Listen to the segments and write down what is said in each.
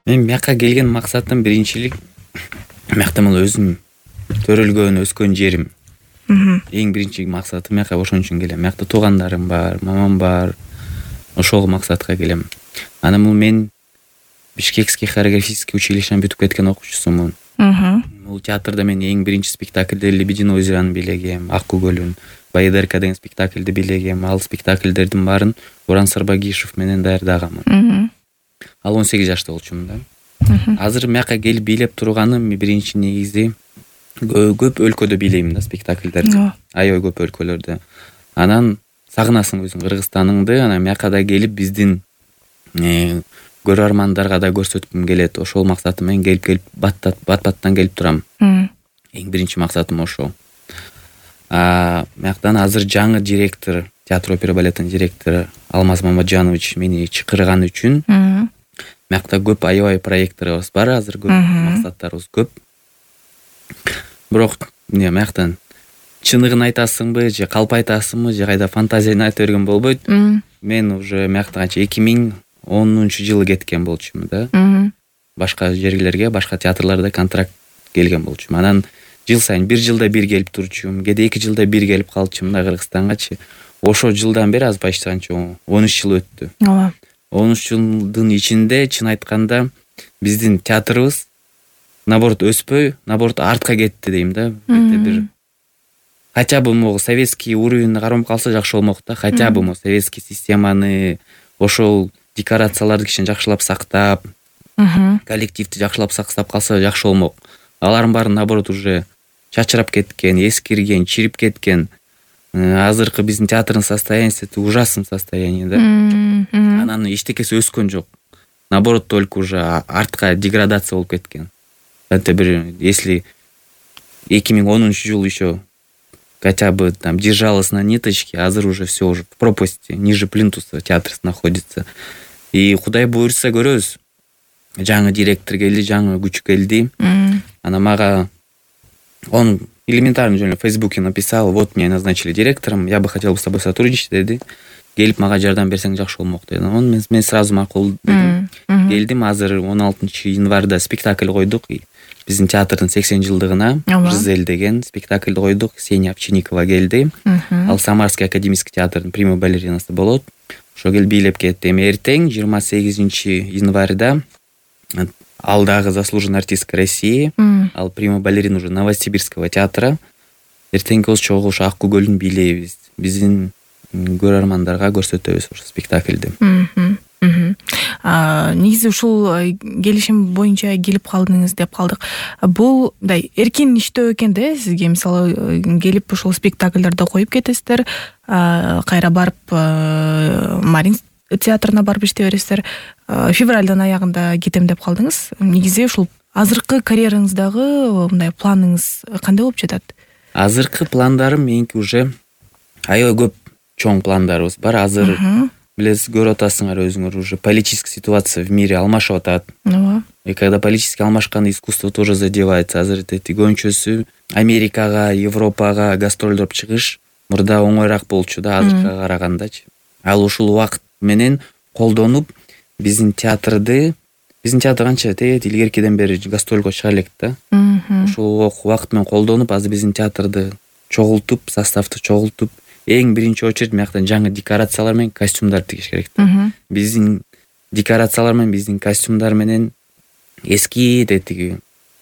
Мен мияка келген максатым биринчилик миякта могу өзүм төрөлгөн, өскөн жерим. Эң биринчи максатым мияка ошон үчүн келем. Миякта туугандарым бар, мамам бар. Ошол максатка келем. Анан мен Бишкекский хореографический училищени бүтүп кеткен окуучусумун. Бул театрда мен эң биринчи спектакльде Лебединое озераны бийлегем, Ак көгөлүн, Баядерка деген спектакльди бийлегем. Ал спектакльдердин баарын Буран Сарбагишев менен даярдагамын. Ал 18 жашта болчумун да. Азыр мияка келип бийлеп турганым биринчи негизи көп өлкөдө бийлейм да спектакльдерди. Аябай көп өлкөлөрдө. Анан сагынасың өзүң Кыргызстаныңды, анан мияка да келип биздин көрөрмандарга да көрсөткүм келет. Ошол максатым менен келип бат-баттан келип турам. Эң биринчи максатым ошол. Мияктан азыр жаңы директор, театр опера балеттин директору Алмаз Мамаджанович мени чакырган үчүн миякта көп аябай проекттарыбыз бар, азыр көп максаттарыбыз көп. Бирок мияктан чыныгын айтасыңбы же калп айтасыңбы же кайда фантазияны айта берген болбойт. Мен уже мияктан канча 2010-жылы кеткен болчумун да. Башка жерлерге, башка театрларда контракт келген болчумун. Анан жыл сайын бир жылда бир келип турчумун, кээде 2 жылда бир келип калчумун да Кыргызстангачы. Ошол жылдан бери аз почти канча 13 жыл өттү. 13 жылдын ичинде чын айтканда биздин театрыбыз наоборот өспөй, наоборот артка кетти дейм да. Бир хотя бы могу советский уровень кармап калса жакшы болмок да. Хотя бы могу советский системаны, ошол декорацияларды кичине жакшылап сактап, коллективди жакшылап сактап калса жакшы болмок. Алардын баары наоборот уже чачырап кеткен, эскирген, чирип кеткен. Азыркы биздин театрдын состояниясы ужасный состояние да. Анан эчтекеси өскөн жок. Наоборот только уже артка деградация болуп кеткен. Это бир если 2010-жыл еще хотя бы там держалась на ниточке, азыр уже все уже в пропасти, ниже плинтуса театр находится. И Кудай буйрса көрөбүз. Жаңы директор келди, жаңы күч келди. Она мага он элементарно жөн в Фейсбуке написал: "Вот меня назначили директором, я бы хотел с тобой сотрудничать", деди. Келип мага жардам берсең жакшы болмок деди. Мен сразу макул дедим. Келдим, азыр 16-январда спектакль койдук. Биздин театрдын 80 жылдыгына Жизель деген спектакльди койдук. Ксения Овчинникова келди. Ал Самарский академический театрдын прима балеринасы болот. Ошо келип бийлеп кетти. Эми эртең 28-январда ал дагы заслуженный артистка России, ал прима балерина уже Новосибирского театра. Эртеңки чогуу ошо Ак көгөлүн бийлейбиз. Биздин көрөрмандарга көрсөтөбүз ошо спектакльди. Негизи ушул келишим боюнча келип калдыңыз деп калдык. Бул мындай эркин иштөө экен да сизге. Мисалы келип ушул спектакльдерди коюп кетесиздер, кайра барып Марин театрына барып иштей бересиздер. Февралдын аягында кетем деп калдыңыз. Негизи ушул азыркы карьераңыздагы мындай планыңыз кандай болуп жатат? Азыркы пландарым меники уже аябай көп чоң пландарыбыз бар. Азыр билесиз, көрүп атасыңар өзүңөр, уже политическая ситуация в мире алмашып атат. И когда политически алмашканда искусство тоже задевается. Азыр көбүнчөсү Америкага, Европага гастролдоп чыгыш мурда оңоюраак болчу да азыркыга карагандачы. Ал ушул убакыт менен колдонуп биздин театр канча илгеркиден бери гастролго чыга элек да. Ушул убакыт менен колдонуп азыр биздин театрды чогултуп, составды чогултуп, эң биринчи очередь мияктан жаңы декорациялар менен костюмдар тигиш керек да. Биздин декорациялар менен, биздин костюмдар менен эски тиги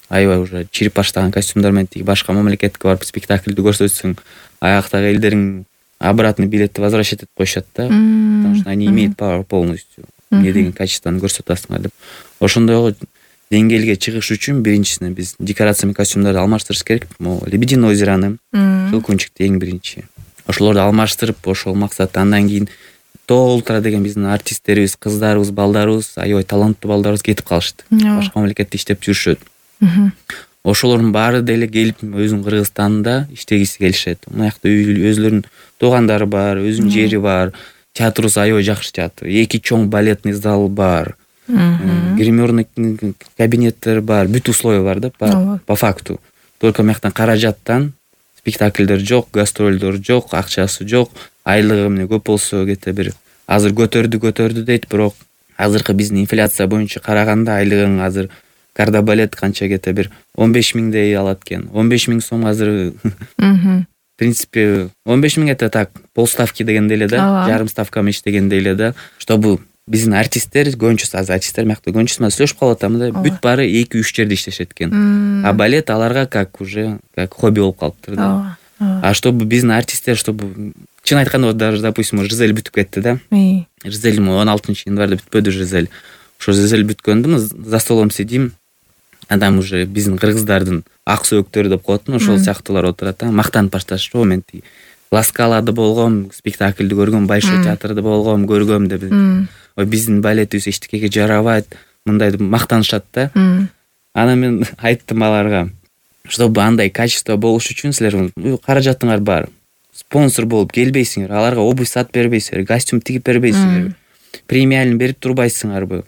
аябай уже чирип баштаган костюмдар менен тиги башка мамлекетке барып спектакльди көрсөтсөң, аяктагы элдерин обратно билетти возвращать этип коюшат да. Потому что они имеют право полностью эмне деген качествону көрсөтө атасыңар деп. Ошондой деңгээлге чыгыш үчүн биринчисинен биз декорация менен костюмдарды алмаштырыш керек. Могу Лебединое озераны, Жылкунчикти эң биринчи. Ошолорду алмаштырып, ошол максатта андан кийин Тоо Ультра деген биздин артисттерибиз, кыздарыбыз, балдарыбыз, аябай таланттуу балдарыбыз кетип калышты. Башка мамлекетте иштеп жүрүшөт. Ошолордун баары деле келип өзүнүн Кыргызстанда иштегиси келишет. Мынакта өзүлөрүнүн туугандары бар, өзүнүн жери бар. Театрыбыз аябай жакшы театр. 2 чоң балетный зал бар. Гримерный кабинеттер бар, бүт условия бар да, по факту. Только мыяктан каражаттан спектакльдер жок, гастролдор жок, акчасы жок, айлыгы эмне көп болсо кете бир азыр көтөрдү дейт, бирок азыркы биздин инфляция боюнча караганда айлыгың азыр кардабалет канча кете бир 15 миңдей алат экен. 15 миң сом азыр в принципе 15 миң это так полставки дегенде эле да, жарым ставкам иштегенде эле да, чтобы биздин артисттер көбүнчөсү азыр артисттер мякты көбүнчөсү менен сүйлөшүп калып атам да, бүт баары 2-3 жерде иштешет экен. А балет аларга как уже как хобби болуп калыптыр да. А чтобы биздин артисттер, чтобы чын айтканда даже допустим Жизель бүтүп кетти да. Жизель 16-январда бүтпөдү Жизель. Ошо Жизель бүткөндө за столом сидим. Адам уже биздин кыргыздардын ак сөөктөрү деп коетмун, ошол сыяктуулар отурат да, мактанып башташты. Мен Ласкалада болгом, спектакльди көргөм, Большой театрда болгом, көргөм деп. Ой, биздин балетибиз эчтекеге жарабайт, мындай деп мактанышат да. Анан мен айттым аларга, чтобы андай качество болуш үчүн силер каражатыңар бар. Спонсор болуп келбейсиңер, аларга обувь сатып бербейсиңер, костюм тигип бербейсиңер, премиальный берип турбайсыңарбы.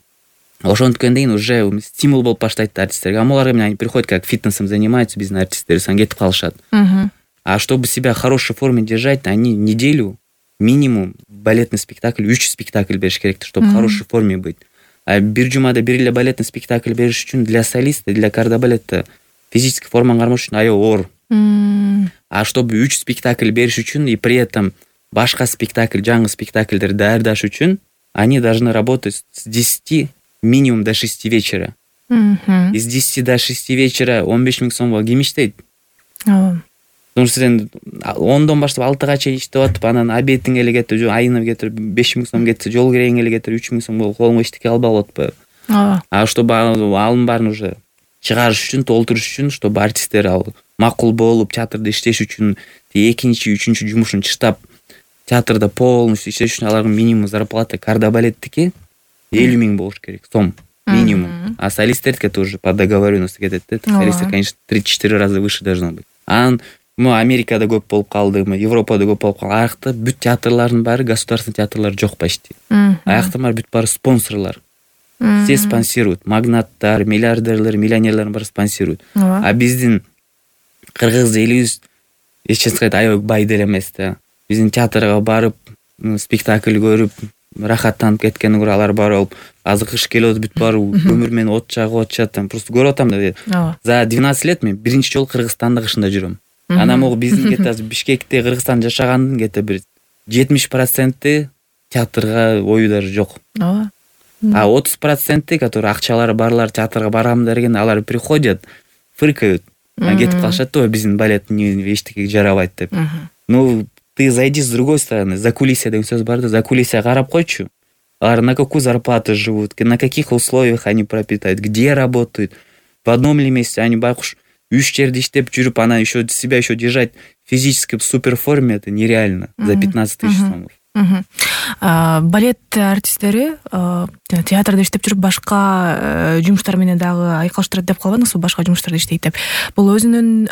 Ошонткөн кийин уже стимул болуп баштайт артисттерге. А аларга менен они приходят, как фитнесом занимаются, биздин артисттер, сан кетип калышат. А чтобы себя в хорошей форме держать, они неделю минимум балетный спектакль, 3 спектакль бериш керек, чтобы в хорошей форме быть. А бир жумада бир эле балетный спектакль бериш үчүн для солиста, для кардабалетта физический форманы кармаш үчүн аябай оор. А чтобы 3 спектакль бериш үчүн и при этом башка спектакль, жаңы спектакльдерди даярдаш үчүн они должны работать с 10 минимум до 6 вечера. Из 10 до 6 вечера 15 миң сомго ким иштейт? Потому что сен 10дон баштап 6га чейин иштеп атып, анан обедиң эле кетип, айына кетирип 5 миң сом кетсе, жол кирегиң эле кетирип 3 миң сом колуңа эчтеке албай калып атпайбы? А чтобы алым баарын уже чыгарыш үчүн, толтуруш үчүн, чтобы артисттер ал макул болуп театрда иштеш үчүн, экинчи, үчүнчү жумушун чыштап театрда полностью иштеш үчүн алардын минимум зарплата кардабалеттики 50 миң болуш керек сом минимум. А солисттердики тоже по договоренности кетет да. Солисттер, конечно, 3-4 раза выше должно быть. Анан Америкада көп болуп калды, Европада көп болуп калды. Аякта бүт театрлардын баары государственный театрлар жок почти. Аякта бүт баары спонсорлор. Все спонсируют. Магнаттар, миллиардерлер, миллионерлер баары спонсируют. А биздин кыргыз элибиз эч кайда аябай бай деле эмес да. Биздин театрга барып, спектакль көрүп, рахаттанып кеткенден көрө алар барып, азыр кыш келип бүт баары көмүр менен от чагып атышат. Просто көрүп атам да. За 12 лет мен биринчи жолу Кыргызстанда кышында жүрөм. Анан могу биздин кете Бишкекте, Кыргызстан жашагандын кете бир 70% театрга ою даже жок. А 30%, которые акчалары барлар театрга барам деген, алар приходят, фыркают, кетип калышат да, биздин балет эчтекеге жарабайт деп. Ну, ты зайди с другой стороны, за кулисия деген сөз бар да, за кулисия карап койчу. Алар на какую зарплату живут, на каких условиях они пропитают, где работают. В одном ли месте они байкуш 3 жерде иштеп жүрүп, анан еще себя еще держать физически в супер форме, это нереально за 15 тысяч сомов. Балет артисттери театрда иштеп жүрүп башка жумуштар менен дагы айкалыштырат деп калбадыңызбы? Башка жумуштарда иштейт деп. Бул өзүнүн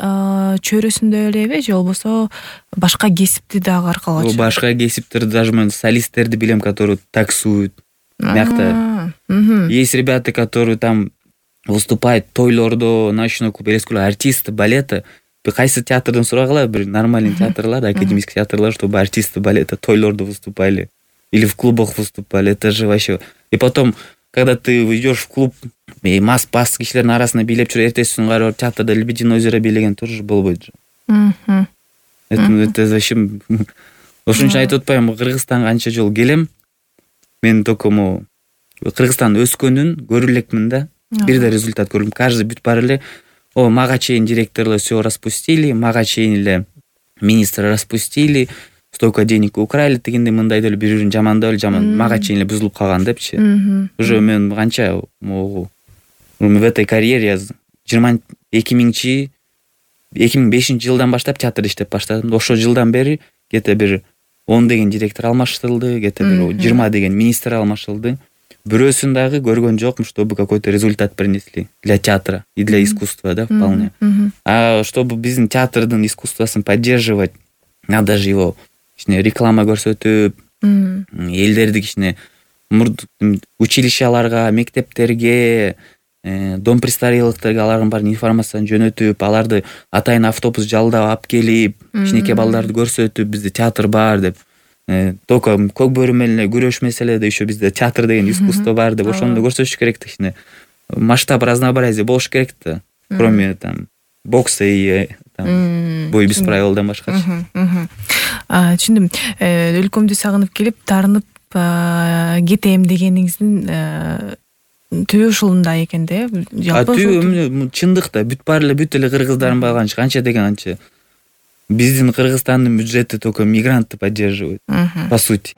чөйрөсүндө элеби же болбосо башка кесипти дагы аркалап? Башка кесиптерди даже мен солисттерди билем, которые таксуют. Мякта. Есть ребята, которые там выступает тойлордо, ночной клуб, артисты балета. Кайсы театрдан сурагыла, бир нормальный театрлар, академический театрлар, чтобы артисты балета тойлордо выступали или в клубах выступали. Это же вообще. И потом, когда ты идешь в клуб, мас кишилердин арасында бийлеп жүрүп, эртеси күнү барып театрда Лебединое озеро бийлеген тоже болбойт же. Это вообще ошон үчүн айтып атпаймынбы, Кыргызстанга канча жолу келем. Мен только Кыргызстан өскөнүн көрүп элекмин да. Бир да результат көрдүм. Каждый бүт баары эле мага чейин директорлор все распустили, мага чейин эле министр распустили, столько денег украли дегенде мындай деле бири-бирин жамандап эле мага чейин эле бузулуп калган депчи. Уже мен канча в этой карьере 2005 жылдан баштап театрда иштеп баштадым. Ошол жылдан бери где-то бир 10 деген директор алмаштырылды, где-то бир 20 деген министр алмашылды. Бирөөсүн дагы көргөн жокмун, чтобы какой-то результат принесли для театра и для искусства, да, вполне. А чтобы биздин театрдын искусствосын поддерживать, надо же его реклама көрсөтүп, элдерди кичине училищаларга, мектептерге, дом престарелыктарга алардын баарын информацияны жөнөтүп, аларды атайын автобус жалдап алып келип, кичинекей балдарды көрсөтүп, бизде театр бар деп. только көк бөрү менен күрөшмесе эле еще бизде театр деген искусство бар деп ошондо көрсөтүш керек да, кичине масштаб разнообразие болуш керек да, кроме там бокса и бой без правилдан башкачы. Түшүндүм. Өлкөмдү сагынып келип таарынып кетем дегениңиздин түбү ушунда экен да. Түбү чындыкта бүт эле кыргыздардын баганчы канча деген анча биздин Кыргызстандын бюджети только мигрантты поддерживает, по сути.